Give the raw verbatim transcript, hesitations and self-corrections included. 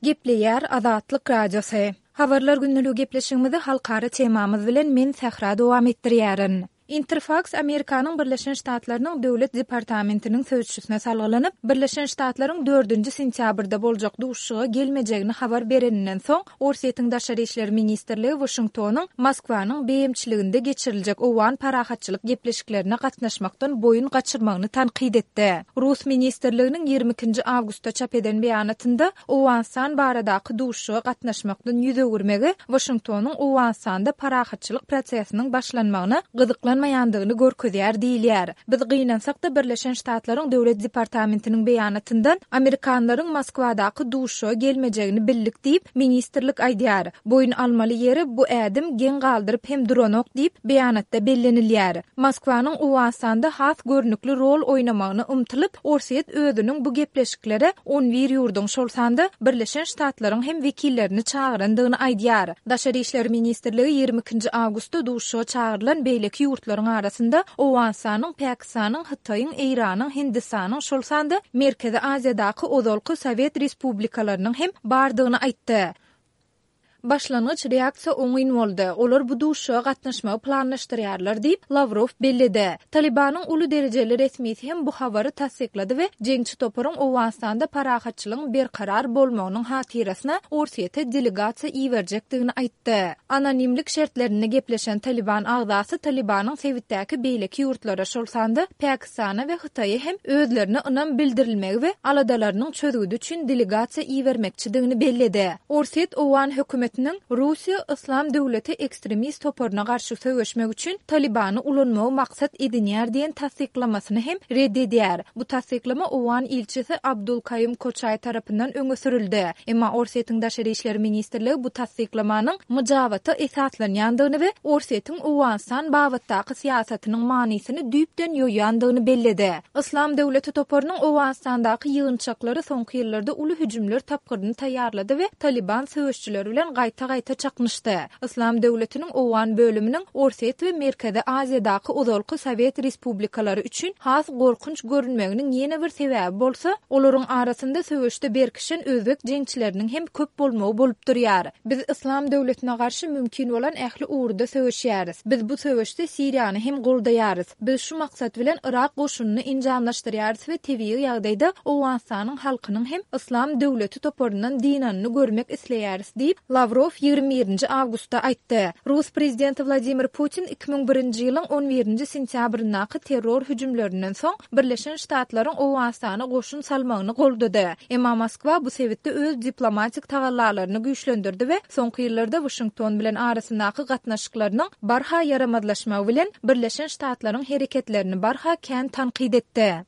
Gepleýär Azatlyk Radiosy. Habarlar gündeligi gepleşigimizi halkara temamyz bilen men Sähra dowam etdirýärin. Interfaks Amerikanyň Birleşen Ştatlarynyň Döwlet departamentiniň sözçüsine salgylanyp, Birleşen Ştatlaryň dördünji sentýabrda boljak duşuşyga gelmejegini habar bereninden soň, Orsýetiň Daşary işler ministrligi Waşingtonyň Moskwanyň beýemçiliginde geçiriljek owgan parahatçylyk gepleşiklerine gatnaşmakdan boýun gaçyrmagyny tankyt etdi. Rus ministrliginiň ýigrimi ikinji awgustda çap eden beýanatynda Owganystan baradaky duşuşyga gatnaşmakdan ýüz öwürmegi Waşingtonyň Owganystanda parahatçylyk prosesiniň başlanmagyna gyzyklanmaýandygyny görkezýär diýilýär. Biz gynansak-da, Birleşen Ştatlaryň Döwlet departamentiniň beýanatyndan amerikanlaryň Moskwadaky duşuşyga gelmejegini bildik diýip, ministrlik aýdýar. Boýun almaly ýeri, bu ädim geň galdyryp hem duranok diýip, beýanatda bellenilýär. Moskwanyň Owganystanda has görnükli rol oýnamagyna ymtylyp, Orsýet özüniň bu gepleşiklere on bir ýurduň, şol sanda Birleşen Ştatlaryň hem wekillerini çagyrandygyny aýdýar. Daşary işler ministrligi ýigrimi ikinji awgustda duşuşyga çagyrylan beýleki ýurtlaryň arasynda Owganystanyň, Pakistanyň, Hytaýyň, Eýranyň, Hindistanyň, şol sanda Merkezi Aziýadaky ozalky sowet respublikalarynyň hem bardygyny aýtdy. Başlangyç reaksiýa oňyn boldy, olar bu duşuşyga gatnaşmagy planlaşdyrýarlar diýip, Lawrow belledi. Talybanyň uly derejeli resmisi hem bu habary tassyklady we jeňçi toparyň Owganystanda parahatçylygyň berkarar bolmagynyň hatyrasyna Orsýete delegasiýa iberjekdigini aýtdy. Anonimlik şertlerinde gepleşen Talyban agzasy Talybanyň sebitdäki beýleki ýurtlara, şol sanda Pakistana we Hytaýa hem özlerine ynam bildirilmegi we aladalarynyň çözgüdi üçin delegasiýa ibermekçidigini belledi. Orsýet owgan hökümetiniň Russiýa Yslam döwleti ekstremist toparyna garşy söweşmek üçin Talybany ulanmagy maksat edinýär diýen tassyklamasyny hem red edýär. Bu tassyklama owgan ilçisi Abdul Kaýum Koçaý tarapyndan öňe sürüldi. Emma Orsýetiň Daşary işler ministrligi bu tassyklamanyň myjabata esaslanýandygyny we Orsýetiň Owganystan babatdaky syýasatynyň manysyny düýpden ýoýandygyny belledi. Yslam döwleti toparynyň Owganystandaky ýygynçaklary soňky ýyllarda uly hüjümler tapgyryny taýýarlady we Talyban söweşçileri bilen gaýta-gaýta çaknyşdy. Yslam döwletiniň owgan bölüminiň Orsýet we Merkezi Aziýadaky ozalky sowet respublikalary üçin has gorkunç görünmeginiň ýene bir sebäbi bolsa, olaryň arasynda söweşde berkişen özbek jeňçileriniň hem köp bolmagy bolup durýar. Biz Yslam döwletine garşy mümkin bolan ähli ugurda söweşýäris. Biz bu söweşde Siriýany hem goldaýarys. Biz şu maksat bilen Yrak goşunyny enjamlaşdyrýarys we tebigy ýagdaýda Owganystanyň halkynyň hem Yslam döwleti toparyndan dynanyny görmek isleýäris diýip, Lawrow ýigrimi birinji awgustda aýtdy. Rus prezidenti Wladimir Putin iki müň birinji ýylyň on birinji sentýabryndaky terror hüjümlerinden soň Birleşen Ştatlaryň Owganystana goşun salmagyny goldady. Emma Moskwa bu sebitde öz diplomatik tagallalaryny güýçlendirdi we soňky ýyllarda Waşington bilen arasyndaky gatnaşyklarynyň barha ýaramazlaşmagy bilen Birleşen Ştatlaryň hereketlerini barha kän tankyt etdi.